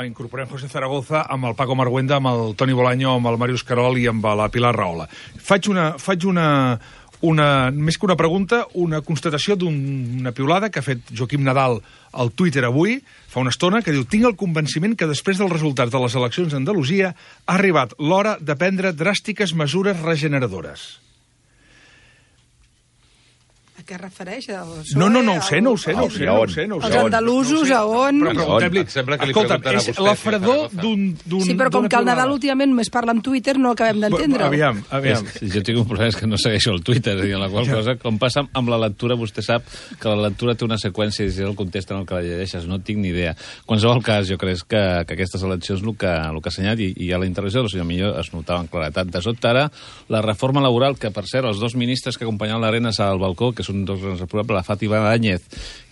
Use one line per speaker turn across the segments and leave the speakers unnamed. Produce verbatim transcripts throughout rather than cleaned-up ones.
incorporem José Zaragoza amb el Paco Marguenda, amb el Toni Bolaño, amb el Màrius Querol i amb la Pilar Rahola. Faig una... Faig una Una, més que una pregunta, una constatació d'una piulada que ha fet Joaquim Nadal al Twitter avui, fa una estona, que diu: tinc el convenciment que després dels resultats de les eleccions d'Andalusia ha arribat l'hora de prendre dràstiques mesures regeneradores.
A què es refereix?
No, no, no ho sé, no ho sé, no ho sé, no ho sé.
Els andalusos, a on?
Però preguntem-li, escolta, és la fredor d'un...
Sí, però com que el Nadal últimament només parla amb Twitter, no acabem d'entendre.
Aviam, aviam.
Jo tinc un problema, és que no segueixo el Twitter, i en la qual cosa, com passa amb la lectura, vostè sap que la lectura té una seqüència i si el context en el que la llegeixes, no tinc ni idea. En qualsevol cas, jo crec que, que aquestes eleccions, el que, el que ha assenyalat, i, i a la intervenció del senyor Millo es notava en claretat. De sobte ara, la reforma laboral, que per cert, els dos ministres que acompanyaven l'Arenas al balcó, que són dos grans responsables, la Fátima Báñez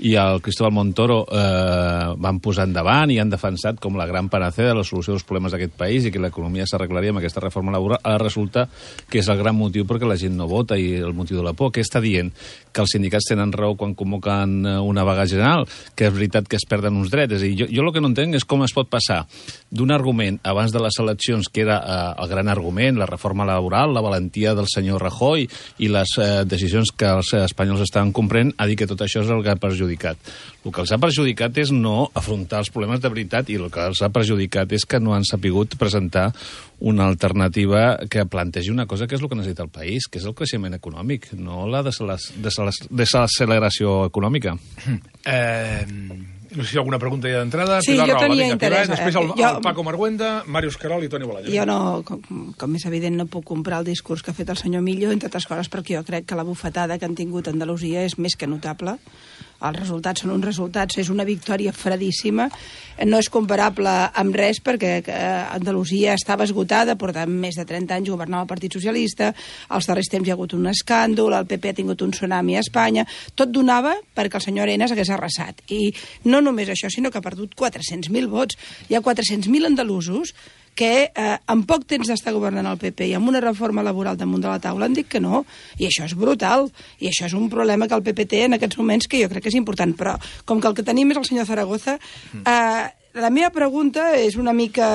i el Cristóbal Montoro, eh, van posar endavant i han defensat com la gran panacea de la solució dels problemes d'aquest país i que l'economia s'arreglaria amb aquesta reforma laboral. Ara resulta que és el gran motiu perquè la gent no vota i el motiu de la por. Què està dient? Que els sindicats tenen raó quan convoquen una vaga general, que és veritat que es perden uns drets. És a dir, jo, jo el que no entenc és com es pot passar d'un argument abans de les eleccions, que era eh, el gran argument, la reforma laboral, la valentia del senyor Rajoy i les eh, decisions que els espanyols estaven comprant, a dir que tot això és el que ha perjudicat. El que els ha perjudicat és no afrontar els problemes de veritat i el que els ha perjudicat és que no han sapigut presentar una alternativa que plantegi una cosa que és el que necessita el país, que és el creixement econòmic, no la desacceleració econòmica.
Eh... No sé si hi ha alguna pregunta ja d'entrada.
Sí,
Pilar
jo
Rahola,
tenia
vinga,
interès.
Pilar, després el,
jo...
el Paco Marguenda, Màrius Querol i Toni Bolaño.
Jo no, com, com és evident, no puc comprar el discurs que ha fet el senyor Millo, entre altres coses perquè jo crec que la bufetada que han tingut a Andalusia és més que notable. Els resultats són uns resultats, és una victòria fredíssima, no és comparable amb res perquè Andalusia estava esgotada, portant més de trenta anys governava el Partit Socialista, als darrers temps hi ha hagut un escàndol, el P P ha tingut un tsunami a Espanya, tot donava perquè el senyor Arenas hagués arrasat. I no només això, sinó que ha perdut quatre-cents mil vots. Hi ha quatre-cents mil andalusos que eh, en poc temps d'estar governant el P P i amb una reforma laboral damunt de la taula han dit que no, i això és brutal, i això és un problema que el P P té en aquests moments que jo crec que és important, però com que el que tenim és el senyor Zaragoza, eh, la meva pregunta és una mica,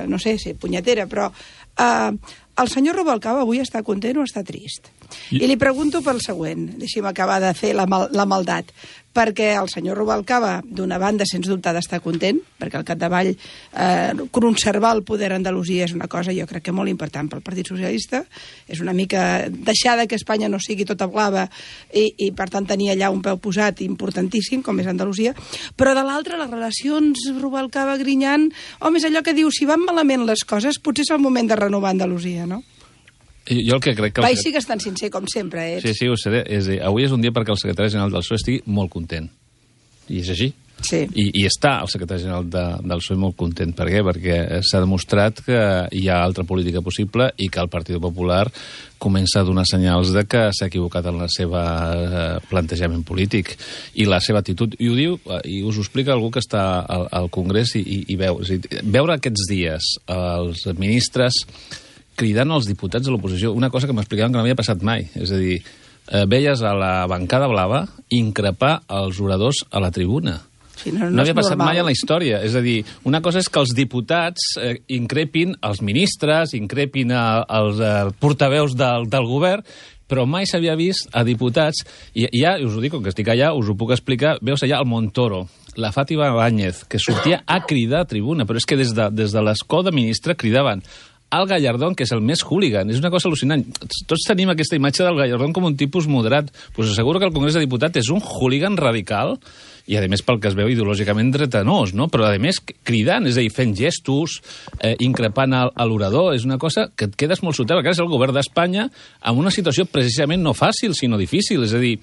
no sé si punyetera, però eh, el senyor Rubalcaba avui està content o està trist? I, I li pregunto pel següent, deixi'm acabar de fer la, mal, la maldat, perquè el senyor Rubalcaba, d'una banda, sens dubte, ha d'estar content, perquè al capdavall eh, conservar el poder a Andalusia és una cosa, jo crec que molt important pel Partit Socialista, és una mica deixar que Espanya no sigui tota blava i, i per tant, tenir allà un peu posat importantíssim, com és Andalusia, però de l'altra, les relacions Rubalcaba-Griñán, home, és allò que diu, si van malament les coses, potser és el moment de renovar Andalusia, no?
Jo el que crec que...
Vai, sí que és tan sincer com sempre, eh?
Sí, sí, ho seré. És dir, avui és un dia perquè el secretari general del P S O E estigui molt content. I és així.
Sí.
I, i està el secretari general de, del P S O E molt content. Per què? Perquè s'ha demostrat que hi ha altra política possible i que el Partit Popular comença a donar senyals de que s'ha equivocat en la seva eh, plantejament polític i la seva actitud. I ho diu, i us ho explica algú que està al, al Congrés i, i, i veu. És a dir, veure aquests dies els ministres cridant als diputats de l'oposició, una cosa que m'explicaven que no havia passat mai. És a dir, eh, veies a la bancada blava increpar els oradors a la tribuna.
Sí, no, no,
no havia passat
normal.
mai en la història. És a dir, una cosa és que els diputats eh, increpin els ministres, increpin a, als eh, portaveus del, del govern, però mai s'havia vist a diputats, i ja, us ho dic, com que estic allà, us ho puc explicar, veus allà el Montoro, la Fátima Báñez, que sortia a cridar a tribuna, però és que des de, des de l'escó de ministre cridaven al Gallardón, que és el més hooligan. És una cosa al·lucinant. Tots tenim aquesta imatge del Gallardón com un tipus moderat. Pues asseguro que el Congrés de Diputats és un hooligan radical i, a més, pel que es veu ideològicament dretanós, no? Però, a més, cridant, és a dir, fent gestos, eh, increpant a, a l'orador, és una cosa que et quedes molt sotel. És el govern d'Espanya amb una situació precisament no fàcil, sinó difícil. És a dir,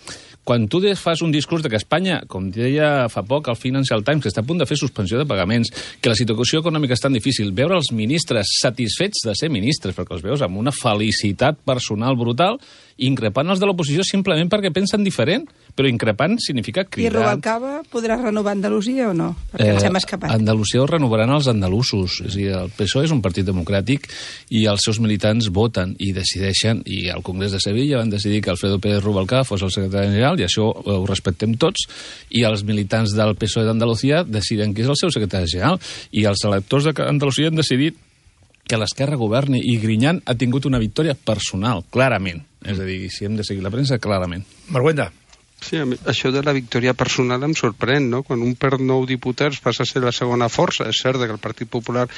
quan tu fas un discurs de que Espanya, com deia fa poc el Financial Times, que està a punt de fer suspensió de pagaments, que la situació econòmica és tan difícil, veure els ministres satisfets de ser ministres, perquè els veus amb una felicitat personal brutal, increpant els de l'oposició simplement perquè pensen diferent, però increpant significa
I
cridant.
Rubalcaba podrà renovar Andalusia o no? Perquè
Eh,
ens hem escapat.
Andalusia ho renovaran els andalusos. És a dir, el P S O E és un partit democràtic i els seus militants voten i decideixen, i al Congrés de Sevilla van decidir que Alfredo Pérez Rubalcaba fos el secretari general, i això ho respectem tots, i els militants del P S O E d'Andalusia deciden qui és el seu secretari general, i els electors d'Andalusia han decidit que l'Esquerra governi, i Griñán ha tingut una victòria personal, clarament. És a dir, si hem de seguir la premsa, clarament.
Marguenda.
Sí, això de la victòria personal em sorprèn, no? Quan un perd nou diputats passa a ser la segona força. És cert que el Partit Popular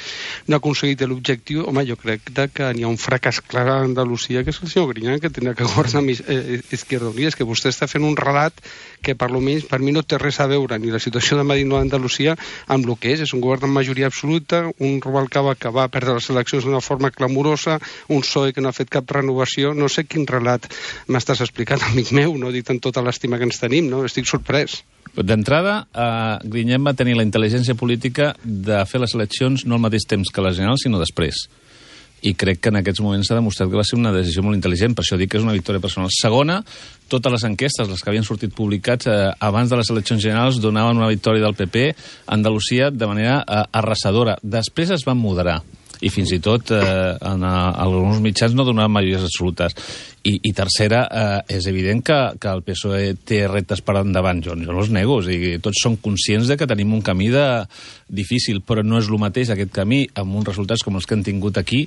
no ha aconseguit l'objectiu. Home, jo crec que n'hi ha un fracàs clar a Andalusia, que és el senyor Griñán, que tenia que governar eh, Izquierda Unida. És que vostè està fent un relat que, per lo menys, per mi no té res a veure ni la situació de Madrid o d'Andalusia amb el que és. És un govern amb majoria absoluta, un Rubalcaba que va perdre les eleccions d'una forma clamorosa, un P S O E que no ha fet cap renovació. No sé quin relat m'estàs explicant, amic meu, no dit amb tota l'estima que ens tenim, no? Estic sorprès.
D'entrada, eh, Griñán va tenir la intel·ligència política de fer les eleccions no al mateix temps que les generals, sinó després. I crec que en aquests moments s'ha demostrat que va ser una decisió molt intel·ligent, per això dic que és una victòria personal. Segona, totes les enquestes, les que havien sortit publicats eh, abans de les eleccions generals, donaven una victòria del P P a Andalusia de manera eh, arrasadora. Després es van moderar, i fins i tot eh, en a, alguns mitjans no donaven majories absolutes. I, i tercera, eh, és evident que, que el P S O E té reptes per endavant. Jo, jo no els nego, o sigui, tots som conscients de que tenim un camí de, difícil, però no és el mateix aquest camí amb uns resultats com els que han tingut aquí,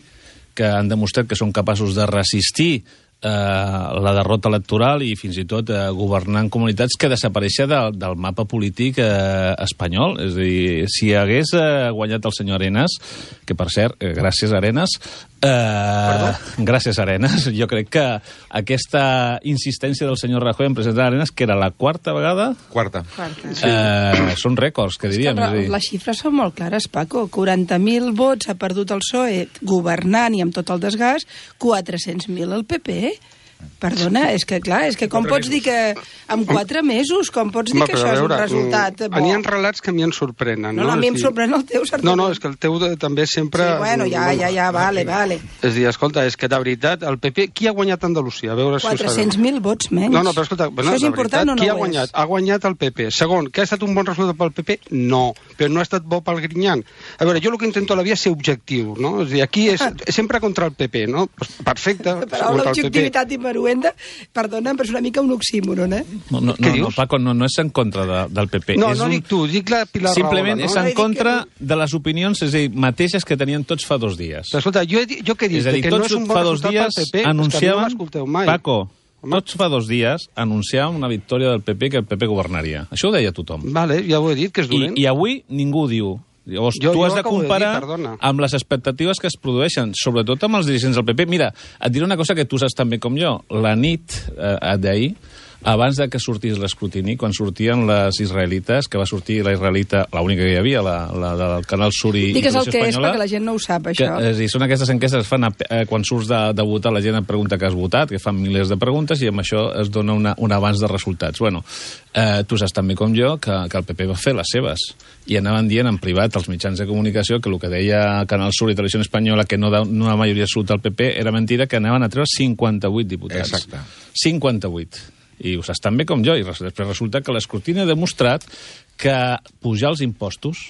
que han demostrat que són capaços de resistir eh, la derrota electoral i fins i tot eh, governar en comunitats, que desapareixia de, del mapa polític eh, espanyol. És a dir, si hagués eh, guanyat el senyor Arenas, que per cert, eh, gràcies Arenas, eh, gràcies Arenas, jo crec que aquesta insistència del senyor Rajoy en presentar Arenas, que era la quarta vegada...
Quarta.
Quarta.
Eh, són rècords, que diríem.
És que
És a dir,
les xifres són molt clares, Paco. quaranta mil vots ha perdut el P S O E governant i amb tot el desgast, quatre-cents mil el P P. Perdona, és que clar, és que com pots dir que en quatre mesos, com pots dir
Home,
que
però
això
a
és un
veure,
resultat bo?
N'hi ha relats que a mi em sorprenen.
No,
No,
no, a mi
És
em
dir-
sorprèn el teu, certament.
No, no, és que el teu de, també sempre...
Sí, bueno, ja, ja, ja, vale, vale.
És a dir, escolta, és que de veritat, el P P, qui ha guanyat Andalusia? A veure si ho sabem.
quatre-cents mil vots menys.
No, no, però escolta, bueno,
això és
de
important
veritat,
o no
qui ha
ho
guanyat?
és?
Ha guanyat el P P. Segon, que ha estat un bon resultat pel P P? No, però no ha estat bo pel Griñán. A veure, jo el que intento a la vida és ser objectiu, no? És a dir, aquí és sempre contra el P P, no? Pues perfecte.
La paraula
contra el P P.
objectivitat i maruenda, perdona, però és una mica un oxímoron, eh?
no, no,
Què
no, no,
dius?
Paco, no, no és en contra de, del P P.
No,
és
no
un...
dic tu, dic la Pilar
Simplement
Rahola,
és
no?
en
No, dic
contra
que
de les opinions, és a dir, mateixes que tenien tots fa dos dies.
Però, escolta, jo, he, dit- jo què he dit?
És a dir,
que no
tots
és un bon
fa dos
resultat
dies
pel P P, és que a mi no
anunciaven...
m'escolteu mai.
Paco,
Home.
tots fa dos dies anunciaven una victòria del P P, que el P P governaria. Això ho deia tothom.
Vale, ja ho he dit, que és
I,
dolent.
I avui ningú ho diu. Llavors,
Jo-
tu
jo
has de
acabo de dir,
comparar
perdona.
amb les expectatives que es produeixen, sobretot amb els dirigents del P P. Mira, et diré una cosa que tu saps tan bé com jo. La nit eh, d'ahir, abans de que sortís l'escrutini, quan sortien les israelites, que va sortir la israelita, l'única que hi havia, la, la del Canal Sur i, i
Digues el
Televisió
que és,
Espanyola,
perquè la gent no ho sap,
que,
això.
és a dir, són aquestes enquestes que es fan a, eh, quan surts de, de votar, la gent et pregunta que has votat, que fan milers de preguntes, i amb això es dona una, un avanç de resultats. Bueno, eh, tu saps també com jo que, que el P P va fer les seves, i anaven dient en privat als mitjans de comunicació que el que deia Canal Sur i Televisió Espanyola, que no, da, no una majoria absoluta al P P, era mentira, que anaven a treure cinquanta-vuit diputats.
Exacte.
cinquanta-vuit. I ho saps tan bé com jo, i res- després resulta que l'escrutini ha demostrat que pujar els impostos,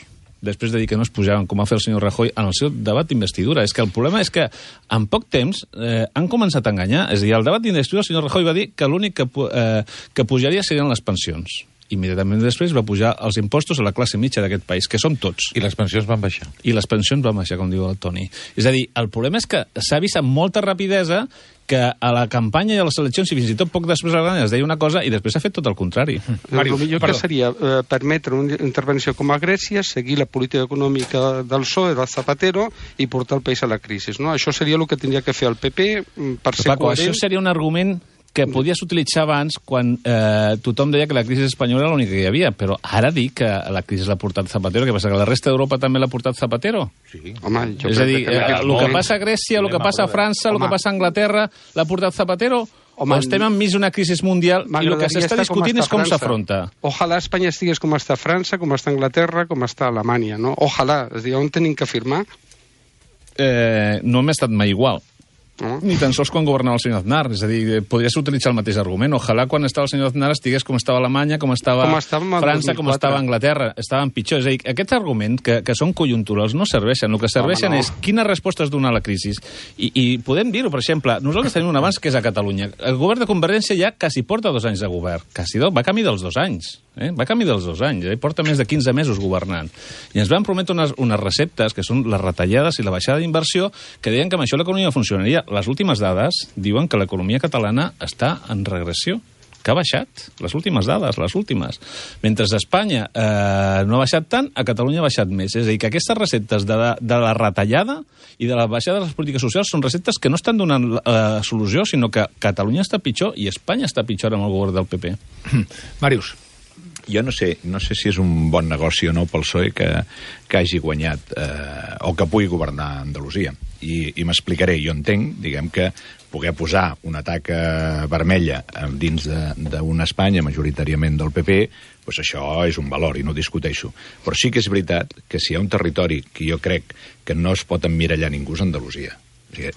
després de dir que no es pujaven, com va fer el senyor Rajoy en el seu debat d'investidura. És que el problema és que en poc temps eh, han començat a enganyar. És a dir, al debat d'investidura el senyor Rajoy va dir que l'únic que, pu- eh, que pujaria serien les pensions. Immediatament després va pujar els impostos a la classe mitja d'aquest país, que som tots.
I les pensions van baixar.
I les pensions van baixar, com diu el Toni. És a dir, el problema és que s'ha vist amb molta rapidesa que a la campanya i a les eleccions, i fins i tot poc després de la campanya, es deia una cosa i després s'ha fet tot el contrari.
Màrius, el millor
perdó.
que seria eh, permetre una intervenció com a Grècia, seguir la política econòmica del P S O E, del Zapatero, i portar el país a la crisi. No? Això seria el que tindria que fer el P P mm, per ser
Paco,
coherent.
això seria un argument que podies utilitzar abans quan eh, tothom deia que la crisi espanyola era l'única que hi havia, però ara dir que la crisi l'ha portat Zapatero, què passa, que la resta d'Europa també l'ha portat Zapatero?
Sí.
Home, jo
És a
crec
dir,
que en
eh,
aquest
el que
moment-
passa a Grècia, el que passa a França, el
Home.
que passa a Anglaterra, l'ha portat Zapatero?
Home,
o estem enmig d'una crisi mundial i el que
M'agradaria
s'està
estar com
discutint
està
és com
França.
s'afronta?
Ojalà Espanya estigués com està França, com està Anglaterra, com està Alemanya, no? Ojalà. És a dir, on tenim que firmar?
Eh, no hem estat mai igual.
No?
Ni tan sols quan governava el senyor Aznar. És a dir, podries utilitzar el mateix argument. Ojalà quan estava el senyor Aznar estigués com estava Alemanya, com estava,
com estava
França, com estava Anglaterra. Estaven pitjor. És a dir, aquests arguments que, que són conjunturals no serveixen. El que serveixen Home, no. és quines respostes donar a la crisi. I, i podem dir-ho, per exemple, nosaltres tenim un avanç que és a Catalunya. El govern de Convergència ja quasi porta dos anys de govern. Quasi do, va camí dels dos anys. Eh? Va camí dels dos anys. Eh? Porta més de quinze mesos governant. I ens van prometre unes, unes receptes, que són les retallades i la baixada d'inversió, que deien que amb això l'economia funcionaria. Les últimes dades diuen que l'economia catalana està en regressió, que ha baixat. Les últimes dades, les últimes. Mentre a Espanya eh, no ha baixat tant, a Catalunya ha baixat més. És a dir, que aquestes receptes de la, de la retallada i de la baixada de les polítiques socials són receptes que no estan donant eh, solució, sinó que Catalunya està pitjor i Espanya està pitjor amb el govern del P P.
Màrius.
Jo no sé, no sé si és un bon negoci o no pel P S O E que, que hagi guanyat eh, o que pugui governar Andalusia. I, i m'explicaré. Jo entenc, diguem, que poder posar una taca vermella dins d'una Espanya majoritàriament del P P, doncs això és un valor i no ho discuteixo. Però sí que és veritat que si hi ha un territori que jo crec que no es pot emmirallar ningú és Andalusia. O sigui,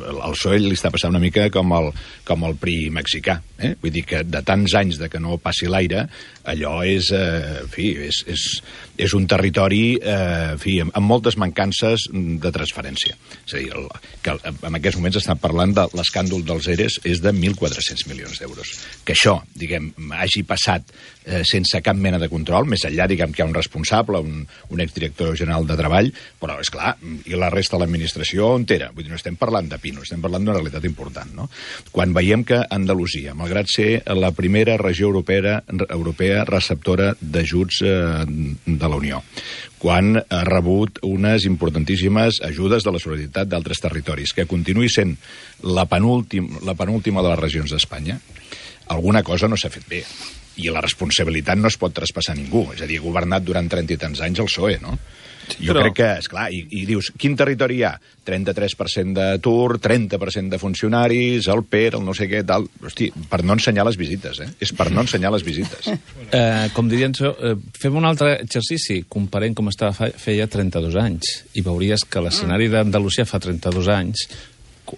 al P S O E li està passant una mica com el, com el P R I mexicà. Eh? Vull dir que de tants anys de que no passi l'aire, allò és, eh, en fi, és, és, és un territori eh, en fi, amb, amb moltes mancances de transferència. És a dir, el, que en aquests moments estan parlant de l'escàndol dels E R Es és de mil quatre-cents milions d'euros. Que això, diguem, hagi passat eh, sense cap mena de control, més enllà, diguem, que hi ha un responsable, un, un exdirector general de Treball, però, és clar, i la resta de l'administració on era? Vull dir, no estem parlant de pino, estem parlant d'una realitat important, no? Quan veiem que Andalusia, malgrat ser la primera regió europea, europea receptora d'ajuts eh, de la Unió, quan ha rebut unes importantíssimes ajudes de la solidaritat d'altres territoris, que continuï sent la penúltima, la penúltima de les regions d'Espanya, alguna cosa no s'ha fet bé. I la responsabilitat no es pot traspassar a ningú. És a dir, ha governat durant trenta i tants anys el P S O E, no? Sí, jo però... crec que, esclar, i, i dius, quin territori hi ha? trenta-tres per cent d'atur, trenta per cent de funcionaris, el P E R, el no sé què, tal... Hosti, per no ensenyar les visites, eh? És per no ensenyar les visites.
Eh, com dirien, eh, fem un altre exercici, comparem com estava fa, feia trenta-dos anys, i veuries que l'escenari d'Andalusia fa trenta-dos anys,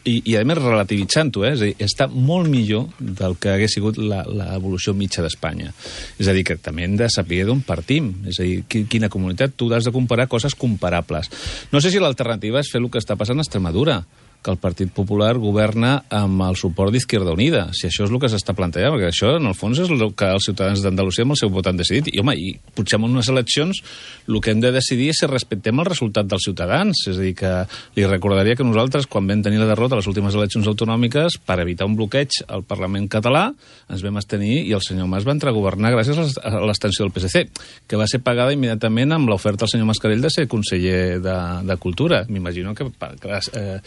i, i a més relativitzant-ho, eh? És a dir, està molt millor del que hagués sigut l'evolució mitja d'Espanya. És a dir, que també hem de saber d'on partim. És a dir, quina comunitat, tu has de comparar coses comparables. No sé si l'alternativa és fer el que està passant a Extremadura, que el Partit Popular governa amb el suport d'Izquierda Unida, si això és el que s'està plantejant, perquè això, en el fons, és el que els ciutadans d'Andalusia amb el seu vot han decidit. I, home, i potser en unes eleccions el que hem de decidir és si respectem el resultat dels ciutadans. És a dir, que li recordaria que nosaltres, quan vam tenir la derrota a les últimes eleccions autonòmiques, per evitar un bloqueig al Parlament català, ens vam abstenir i el senyor Mas va entrar a governar gràcies a l'extensió del P S C, que va ser pagada immediatament amb l'oferta al senyor Mascarell de ser conseller de, de Cultura. M'imagino que... que eh,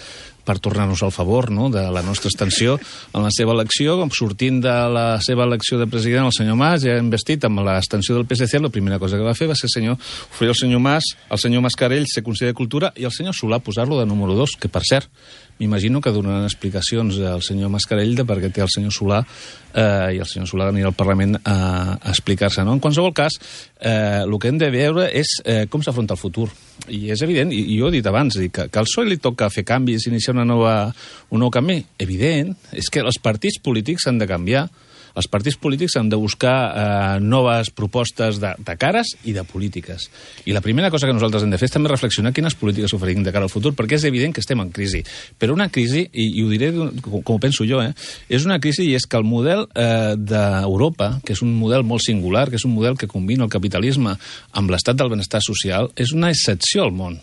per tornar-nos al favor, no?, de la nostra extensió en la seva elecció, sortint de la seva elecció de president, el senyor Mas, ja investit amb l'extensió del P S C, la primera cosa que va fer va ser senyor, oferir al senyor Mas, al senyor Mascarell ser conseller de Cultura i al senyor Solà posar-lo de número dos, que per cert, m'imagino que donaran explicacions al senyor Mascarell de per què té el senyor Solà eh, i el senyor Solà anirà al Parlament a, a explicar-se, no? En qualsevol cas, eh, el que hem de veure és eh, com s'afronta el futur. I és evident, i, i jo he dit abans, que, que al P S O E li toca fer canvis, iniciar una nova, un nou canvi. Evident, és que els partits polítics han de canviar. Els partits polítics han de buscar eh, noves propostes de, de cares i de polítiques. I la primera cosa que nosaltres hem de fer és també reflexionar quines polítiques oferim de cara al futur, perquè és evident que estem en crisi. Però una crisi, i, i ho diré com, com ho penso jo, eh, és una crisi i és que el model eh, d'Europa, que és un model molt singular, que és un model que combina el capitalisme amb l'estat del benestar social, és una excepció al món.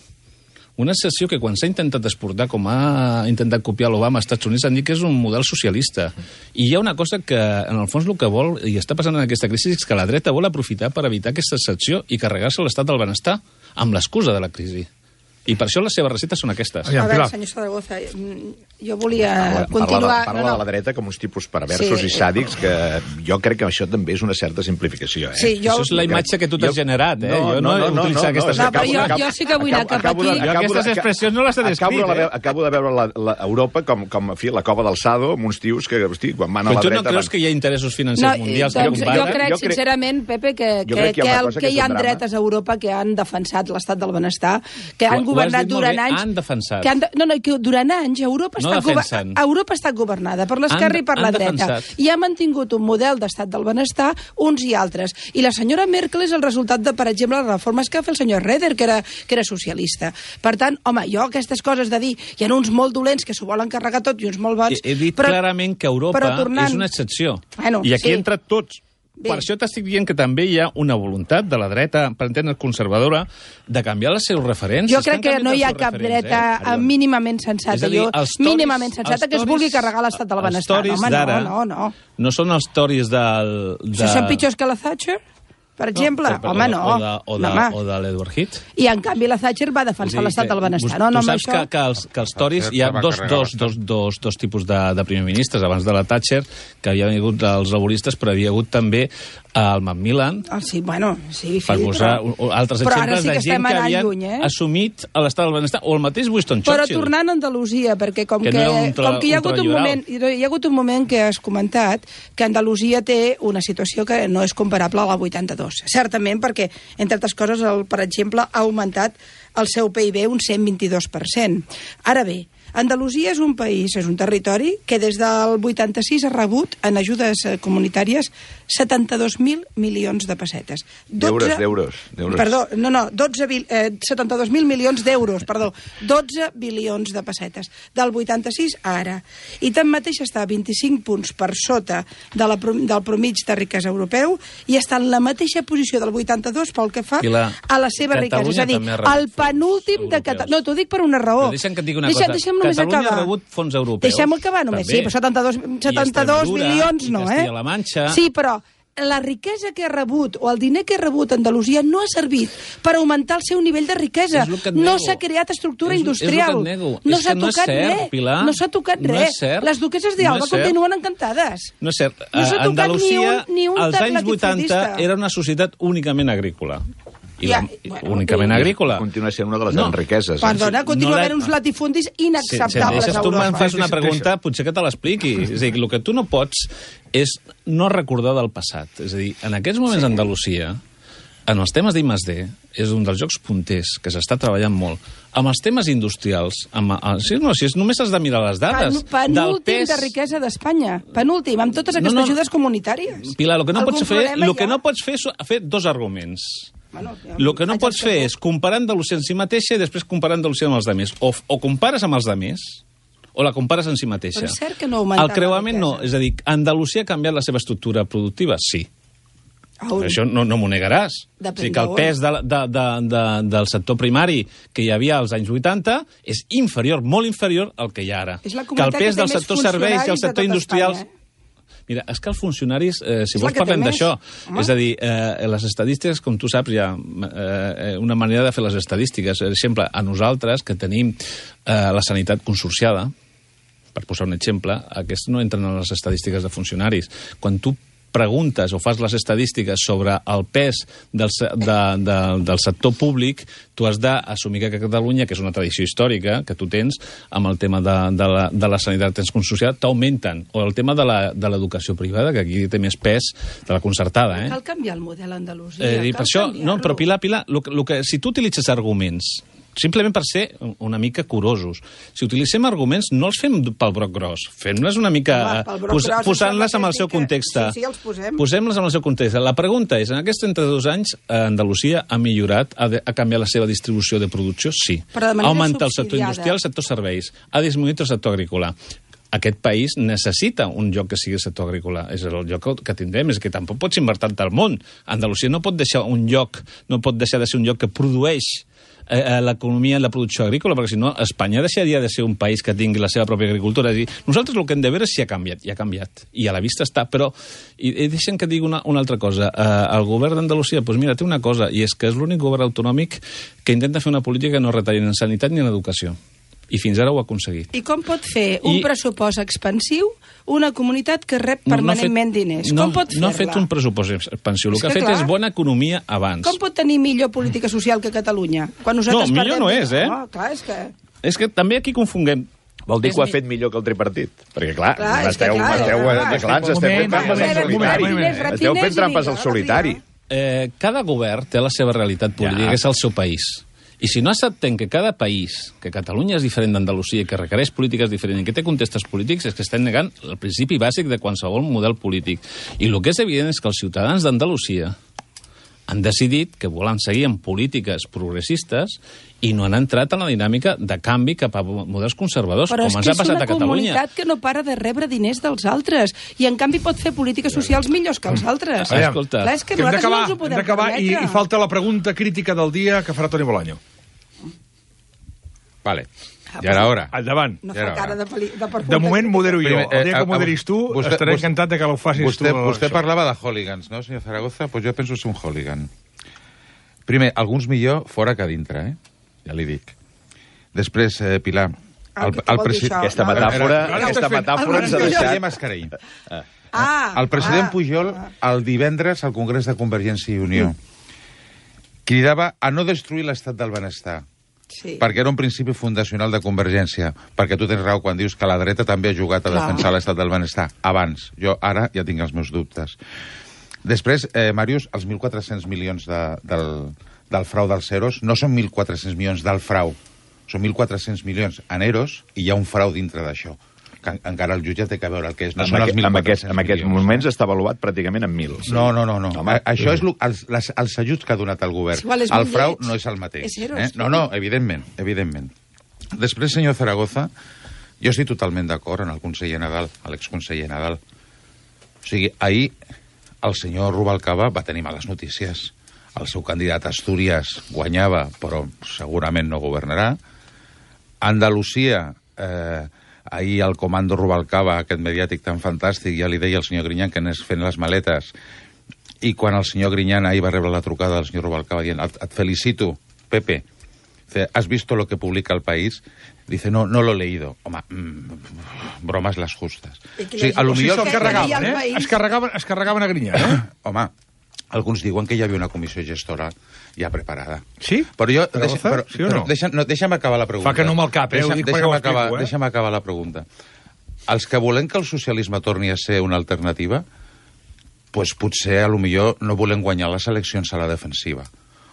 Una excepció que quan s'ha intentat exportar, com ha intentat copiar l'Obama als Estats Units, han dit que és un model socialista. I hi ha una cosa que, en el fons, el que vol, i està passant en aquesta crisi, és que la dreta vol aprofitar per evitar aquesta excepció i carregar-se l'estat del benestar amb l'excusa de la crisi. I per això les seves receptes són aquestes.
A veure, senyor Zaragoza, jo volia
parla,
continuar...
Parla, parla no, no. de la dreta com uns tipus perversos sí, i sàdics, que jo crec que això també és una certa simplificació. Eh?
Sí, jo... Això és la imatge que tu t'has generat, eh?
No,
jo
no, no, no, no, no,
aquestes...
no, però jo, jo sí que vull anar cap aquí...
Jo aquestes expressions no les he descrit,
acabo,
eh?
Acabo de veure la, la Europa com, com en fi, la cova del Sado, amb uns tios que, hosti, quan van a la dreta...
Però tu no creus que hi ha interessos financers
no,
mundials
doncs,
que comparen?
Jo crec, sincerament, Pepe, que, que, que, que, el, que hi ha dretes a Europa que han defensat l'estat del benestar, que han governat durant anys...
Han defensat.
Que han de, no, no, que durant anys Europa,
No
està,
defensen.
Europa està governada per l'esquerra i per la
han
dreta.
defensat.
I ha mantingut un model d'estat del benestar uns i altres. I la senyora Merkel és el resultat de, per exemple, les reformes que va fer el senyor Reder, que era, que era socialista. Per tant, home, jo aquestes coses de dir hi ha uns molt dolents que s'ho volen carregar tot i uns molt bons...
He, he dit
però,
clarament que Europa
tornant...
és una excepció.
Bueno,
I aquí
sí.
entra tots.
Bé.
Per això t'estic dient que també hi ha una voluntat de la dreta, per entendre conservadora, de canviar els seus referents.
Jo crec que no hi ha cap dreta eh? mínimament sensata.
És a dir,
jo,
els toris,
mínimament sensata que es vulgui carregar l'estat del benestar.
Els toris
Home,
d'ara
no, no, no.
no són els toris del... De...
Si són pitjors que la Thatcher, per exemple.
No, però,
home, no.
O de, o de,
no,
o de l'Edward Heath.
I, en canvi, la Thatcher va defensar l'estat del benestar. No, no,
tu saps
això...
que, que, els, que els toris hi ha dos, dos, dos, dos, dos tipus de, de primer ministres. Abans de la Thatcher, que havia hagut els laboristes, però havia hagut també el Macmillan,
Ah, sí, bueno, sí,
per
sí,
posar
però...
altres
però
exemples
sí que
de gent que havien
lluny, eh?
assumit l'estat del benestar, o el mateix Winston
Però
Churchill.
tornant a Andalusia, perquè com
Que
que,
no era ultra-
com que hi ha hagut un
ultraliberal.
moment, hi ha hagut un moment que has comentat que Andalusia té una situació que no és comparable a la vuitanta-dos. Certament, perquè, entre altres coses, el, per exemple, ha augmentat el seu P I B un cent vint-i-dos per cent. Ara bé, Andalusia és un país, és un territori que des del vuitanta-sis ha rebut en ajudes eh, comunitàries setanta-dos mil milions de pessetes.
D'euros, d'euros, d'euros.
Perdó, no, no, dotze, eh, setanta-dos mil milions d'euros, perdó, dotze bilions de pessetes, del vuitanta-sis a ara. I tanmateix està a vint-i-cinc punts per sota de la, del promig de riquesa europeu i està en la mateixa posició del vuitanta-dos pel que fa
la,
a la seva riquesa. És a dir, el penúltim de Catalunya... No, t'ho dic per una raó.
Però deixa'm que et digui una
Deixa,
cosa.
Deixa'm només
Catalunya
acabar.
ha rebut fons europeus.
Deixem acabar només,
també.
sí, però setanta-dos, setanta-dos milions no, eh?
I la Manxa...
Sí, però la riquesa que ha rebut o el diner que ha rebut Andalusia no ha servit per augmentar el seu nivell de riquesa. No s'ha creat estructura
és,
industrial.
És
no
s'ha
tocat
no
res.
Pilar.
No s'ha tocat
no
res.
Cert.
Les duqueses d'Alba
no
continuen encantades.
No és cert.
No s'ha tocat
Andalusia,
ni un, ni un
als anys
latifundista.
vuitanta, era una societat únicament agrícola. I
Ja,
la,
bueno,
únicament
i-
agrícola.
Continua sent una de les
No.
grans riqueses. Eh?
Perdona, continua
No la-
havent uns latifundis
Si, si em
inacceptables
deixes,
a
tu
Europa.
me'n fas una pregunta, potser que te l'expliqui. És a dir, el que tu no pots és no recordar del passat. És a dir, en aquests moments sí. Andalusia, en els temes d'I més D, és un dels jocs punters que s'està treballant molt. Amb els temes industrials, amb, si, no, si és, només has de mirar les dades.
Pen, penúltim
pes...
de riquesa d'Espanya. Penúltim, amb totes aquestes
No, no.
ajudes comunitàries.
Pilar, el que no
Algun
pots fer,
problema
el
hi
que
ha?
no pots fer és fer dos arguments.
Bueno, ja
El que no
faig
pots
el
fer
que
és comparar Andalusia en si mateixa i després comparar Andalusia amb els altres. O, o compares amb els altres, o la compares en si mateixa.
Però és cert que no ha augmentat
El creuament
la
no.
riquesa.
És a dir, Andalusia ha canviat la seva estructura productiva? Sí.
On?
Això no, no m'ho negaràs.
Depèn
o sigui que el
d'on.
pes de, de, de, de, del sector primari que hi havia als anys vuitanta és inferior, molt inferior al que hi ha ara.
És la
Que el
comunitat
pes
que té
del
més
sector serveis i el
funcionaris de
sector
tot
industrial...
Espanya, eh?
Mira, és que els funcionaris, eh, si
És
vols
la que té
parlem
més.
d'això,
Home.
és a dir, eh, les estadístiques, com tu saps, hi ha eh, una manera de fer les estadístiques. Per exemple, a nosaltres, que tenim eh, la sanitat consorciada, per posar un exemple, aquests no entren en les estadístiques de funcionaris. Quan tu preguntes o fas les estadístiques sobre el pes del, se- de, de, del sector públic, tu has d'assumir que a Catalunya, que és una tradició històrica que tu tens, amb el tema de, de, la, de la sanitat tens consorciada, t'augmenten. O el tema de la- de l'educació privada, que aquí té més pes de la concertada. Eh?
Cal canviar el model a Andalusia.
Eh, i
cal
per això, no,
canviar-lo.
però Pilar, Pilar, lo, que- lo que, si tu utilitzes arguments, simplement per ser una mica curosos, si utilitzem arguments, no els fem pel broc gros, fem-les una mica
Home, pel broc
pos,
gros,
posant-les
em
amb
sembla
el seu
que sí que-
context.
sí, sí, els posem.
Posem-les amb el seu context. La pregunta és, en aquests trenta-dos anys, eh, Andalusia ha millorat, ha, de, ha canviat la seva distribució de producció? Sí.
Però de
Ha
manera
augmentat el sector
subsidiada.
industrial, el sector serveis, ha disminuït el sector agrícola. Aquest país necessita un lloc que sigui el sector agrícola. És el lloc que- que tindrem, és que tampoc pots invertir tant al món. Andalusia no pot deixar un lloc, no pot deixar de ser un lloc que produeix eh, l'economia i la producció agrícola, perquè si no, Espanya deixaria de ser un país que tingui la seva pròpia agricultura. És a dir, nosaltres el que hem de veure és si ha canviat, i ha canviat, i a la vista està, però i, i deixem que digui una, una altra cosa. Eh, el govern d'Andalusia, doncs mira, té una cosa, i és que és l'únic govern autonòmic que intenta fer una política que no retalli ni en sanitat ni en educació. I fins ara ho ha aconseguit.
I com pot fer un
I-
pressupost expansiu una comunitat que rep permanentment
no, no
diners?
No,
com pot fer-la?
no ha fet un pressupost expansiu. El
És
que ha
que
fet
clar.
és bona economia abans.
Com pot tenir millor política social que Catalunya? Quan nosaltres
No, millor
perdem...
no és, eh?
No, clar, és que...
És que també aquí confonguem.
Vol dir
És
que ho ha
mi-
fet millor que el tripartit? Perquè, clar,
Clar, és que
m'esteu,
clar,
m'esteu,
clar,
eh, clar, ens
Un
esteu fent
moment,
trampes al
un moment,
solitari.
un moment.
Rep
Esteu
diners
fent
i
trampes
vinga,
al solitari.
Eh, cada govern té la seva realitat política,
Ja.
que és el seu país. I si no acceptem que cada país, que Catalunya és diferent d'Andalusia, que requereix polítiques diferents i que té contextos polítics, és que estem negant el principi bàsic de qualsevol model polític. I el que és evident és que els ciutadans d'Andalusia han decidit que volen seguir amb polítiques progressistes i no han entrat en la dinàmica de canvi cap a models conservadors,
però
com ens ha passat a Catalunya.
Però és que és una comunitat que no para de rebre diners dels altres i, en canvi, pot fer polítiques socials millors que els altres.
Aviam, Escolta,
clar, és que
que hem
nosaltres no
d'acabar,
ens ho
hem
podem
d'acabar i,
permetre.
i falta la pregunta crítica del dia que farà Toni Bolaño.
Vale. Ja era hora.
Endavant.
No
Ja
fa
era
cara
hora.
de, peli, de per
De moment modero jo.
Primer,
El dia
eh,
que moderis tu,
vostè-
estaré
vostè-
encantat de que ho facis
Vostè,
tu.
vostè
això.
parlava de hooligans, no, senyor Zaragoza? Pues jo penso ser un hooligan. Primer, alguns millor fora que dintre, eh? Ja li dic. Després, eh, Pilar...
El, el, el presi...
Aquesta metàfora,
Ara
aquesta
estàs fent-
metàfora ens ha
El
deixat...
conseller Mascarell.
Ah,
El president
ah,
Pujol, el divendres al Congrés de Convergència i Unió, cridava a no destruir l'estat del benestar,
sí.
perquè era un principi fundacional de Convergència, perquè tu tens raó quan dius que la dreta també ha jugat a
Clar.
defensar l'estat del benestar. Abans. Jo ara ja tinc els meus dubtes. Després, eh, Màrius, els mil quatre-cents milions de, del, del frau dels EROs no són mil quatre-cents milions del frau, són mil quatre-cents milions en EROs i hi ha un frau dintre d'això, que en, encara el jutge té que veure el que és. No
En,
són els
aquest, en, aquest,
mil quatre-cents
en aquests
milions.
moments està avaluat pràcticament en mil. Sí.
No, no, no. no.
Home,
A, això és lo, els, les, els ajuts que ha donat el govern.
És igual, és
el
molt
frau
lleig.
no és el mateix.
És EROs.
Eh? No, no, evidentment, evidentment. Després, senyor Zaragoza, jo estic totalment d'acord amb el conseller Nadal, l'exconseller Nadal. O sigui, ahir el senyor Rubalcaba va tenir males notícies. El seu candidat a Astúries guanyava, però segurament no governarà. Andalusia, eh, ahir el comando Rubalcaba, aquest mediàtic tan fantàstic, ja li deia el senyor Griñán que anés fent les maletes, i quan el senyor Griñán ahir va rebre la trucada del senyor Rubalcaba dient, et, et felicito, Pepe, dice, ¿has visto lo que publica El País? Dice, no, no lo he leído. Home, mmm, bromes les justes.
I qui
O sigui,
llegeix?
a lo
O sigui,
millor...
se'l
que
carregaven,
deia el
eh?
País.
Es carregaven, es carregaven a Grinyà, eh?
Home, alguns diuen que hi havia una comissió gestora ja preparada.
Sí?
Però jo...
Zaragoza?
Deixa, però,
Sí o no?
però deixa, no, deixa'm acabar la pregunta.
Fa que no amb el cap, eh? Ho
Deixa,
dic perquè
deixa'm,
ho
acabar,
explico, eh?
deixa'm acabar la pregunta. Els que volem que el socialisme torni a ser una alternativa, pues potser, a lo millor, no volem guanyar les eleccions a la defensiva.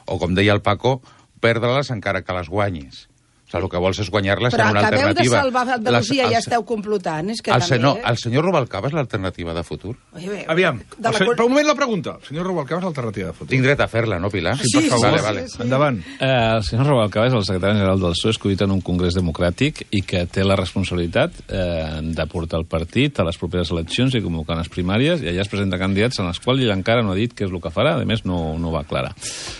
O, com deia el Paco, perdre-les encara que les guanyis. O sigui, el que vols és guanyar-les
Però
en una
acabeu de
alternativa.
salvar Andalusia i
Les-
ja
els-
esteu complotant. És que
el,
també...
senyor, el senyor Rubalcaba és l'alternativa de futur?
Oi, bé,
Aviam,
de la...
el senyor, per un moment la pregunta. El senyor Rubalcaba és l'alternativa de futur.
Tinc dret a fer-la, no, Pilar?
Sí, per favor.
Vale, vale.
sí, sí.
Endavant.
Eh, el senyor Rubalcaba és el secretari general del P S O E, escollit en un congrés democràtic i que té la responsabilitat eh, de portar el partit a les properes eleccions i convocar les primàries, i allà es presenta candidats en els quals ell encara no ha dit què és el que farà, a més no, no va aclarar.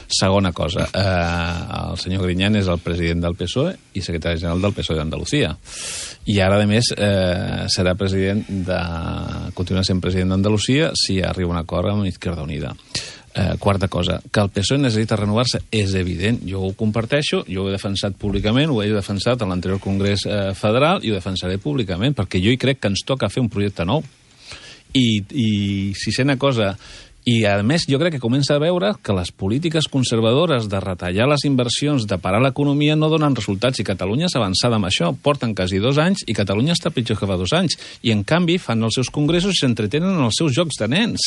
Segona cosa, eh, el senyor Griñán és el president del P S O E i secretari general del P S O E d'Andalusia. I ara, a més, eh, serà president de... continuarà sent president d'Andalusia si arriba a un acord amb Izquierda Unida. Eh, quarta cosa, que el P S O E necessita renovar-se és evident, jo ho comparteixo, jo ho he defensat públicament, ho he defensat en l'anterior Congrés eh, Federal i ho defensaré públicament, perquè jo hi crec que ens toca fer un projecte nou. I, i sisena cosa, i a més jo crec que comença a veure que les polítiques conservadores de retallar les inversions, de parar l'economia, no donen resultats, i Catalunya s'ha avançat amb això, porten quasi dos anys i Catalunya està pitjor que fa dos anys, i en canvi fan els seus congressos i s'entretenen en els seus jocs de nens,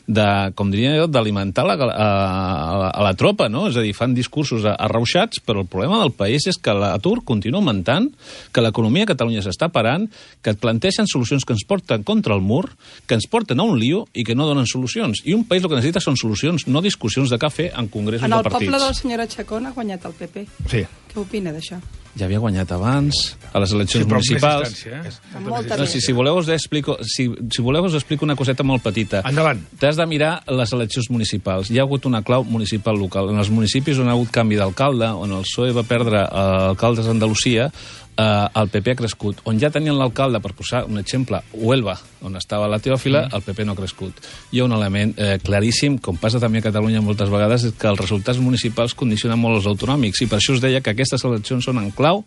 de, com diria jo, d'alimentar la, a, a, a la tropa, no? És a dir, fan discursos arrauxats, però el problema del país és que l'atur continua augmentant, que l'economia a Catalunya s'està parant, que et planteixen solucions que ens porten contra el mur, que ens porten a un lío i que no donen solucions. I un país el que necessita són solucions, no discussions de cafè en congressos
En
de
el
partits.
poble de la senyora Chacón ha guanyat el P P.
Sí.
Què opina d'això?
Ja havia guanyat abans, a les eleccions
Sí, però amb més
municipals.
distància, eh?
Amb molta
No,
més.
si, si, voleu us explico, si, si voleu us explico una coseta molt petita.
Endavant.
T'has de mirar les eleccions municipals. Hi ha hagut una clau municipal local. En els municipis on ha hagut canvi d'alcalde, on el P S O E va perdre eh, alcaldes d'Andalusia, eh, el P P ha crescut. On ja tenien l'alcalde, per posar un exemple, Huelva, on estava la Teòfila, el P P no ha crescut. Hi ha un element eh, claríssim, com passa també a Catalunya moltes vegades, és que els resultats municipals condicionen molt els autonòmics, i per això us deia que aquestes eleccions són en clau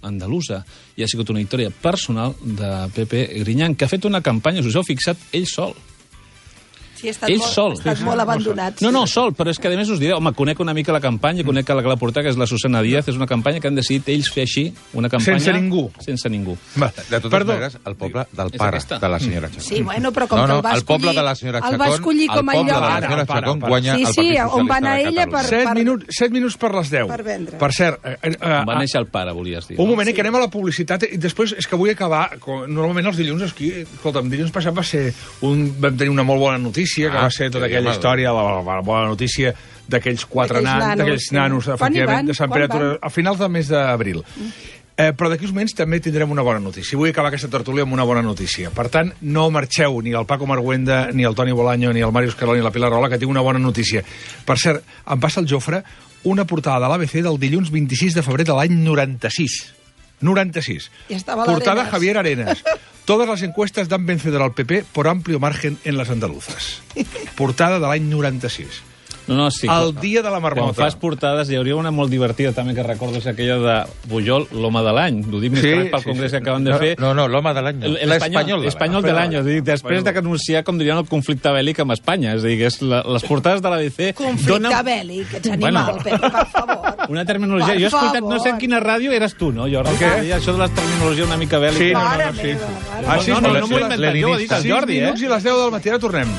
andalusa, i ha sigut una victòria personal de Pepe Griñán, que ha fet una campanya, us heu fixat, ell sol.
Sí, ha estat
ell
molt,
sol.
ha estat molt abandonat.
No, no, sol, però és que a més us diré, home, conec una mica la campanya, conec que la que la porta, que és la Susana Díaz, és una campanya que han decidit ells fer així, una campanya...
Sense ningú.
Sense ningú.
Va,
De totes
perdó.
maneres, el poble del
És
pare
aquesta?
de la senyora Chacón.
Sí, bueno, però com
no,
que
no,
el va
el poble
escollir...
de la senyora
el
Chacón,
va escollir com a
el poble
lloc...
de la
Ara,
senyora
para,
Chacón
para.
guanya
Sí,
el
sí,
Partit
on va
Socialista
anar
de
ella
Catalunya.
per-
Set, minuts, set minuts per les deu.
Per vendre.
Per cert... Eh, eh,
On va
eh,
néixer el pare, volies dir.
un
no?
moment, sí. Que anem a la publicitat i després és que vull acabar... com- Normalment els dilluns aquí... Escolta'm, dilluns passat va ser... Un, vam tenir una molt bona notícia, que
Ah,
va ser tota
sí,
aquella
home.
història, la, la, la bona notícia d'aquells quatre
D'aquells
nans,
nanos,
d'aquells
sí.
nanos,
Quan hi
efectivament,
van?
de Sant
Quan
Pere,
van?
a finals del mes d'abril. Eh, però d'aquí uns moments també tindrem una bona notícia. Vull acabar aquesta tertúlia amb una bona notícia. Per tant, no marxeu ni el Paco Marguenda, ni el Toni Bolaño, ni el Màrius Carol, ni la Pilar Rahola, que tinc una bona notícia. Per cert, em passa el Jofre una portada de l'A B C del dilluns vint-i-sis de febrer de l'any noranta-sis. noranta-sis.
I estava
Portada
l'Arenas.
Javier Arenas. Todas las encuestas dan vencedor al P P por amplio margen en las andaluzas. Portada de l'any noranta-sis.
No, no, sí.
El dia de la
Quan
marmota.
fas portades, hi hauria una molt divertida també que recordo, és aquella de Pujol, l'home de l'any. Ho dic més
Sí,
que res pel
sí,
congrés
sí.
que acaben de fer.
No, no, l'home de l'any. no.
El-
L'espanyol.
L'espanyol de l'any. És a dir, després de anunciar, com dirien, el conflicte bèl·lic amb Espanya. És a dir, que és la, les portades de l'A B C...
Conflicte
donen
bèl·lic, ets animal,
Bueno.
Pepe, per favor.
una terminologia.
Per
Jo he escoltat, no sé en
favor.
quina ràdio eres tu, no? Jo recordo dir això de la terminologia una mica bèl·lica.
Sí, no, no,
Mare
no, sí.
meva, mare
Ah, sí,
no, no,
però
no m'ho he
sí,
inventat, jo ho ha dit el
sis
Jordi, eh?
minuts i les deu del matí, ara tornem.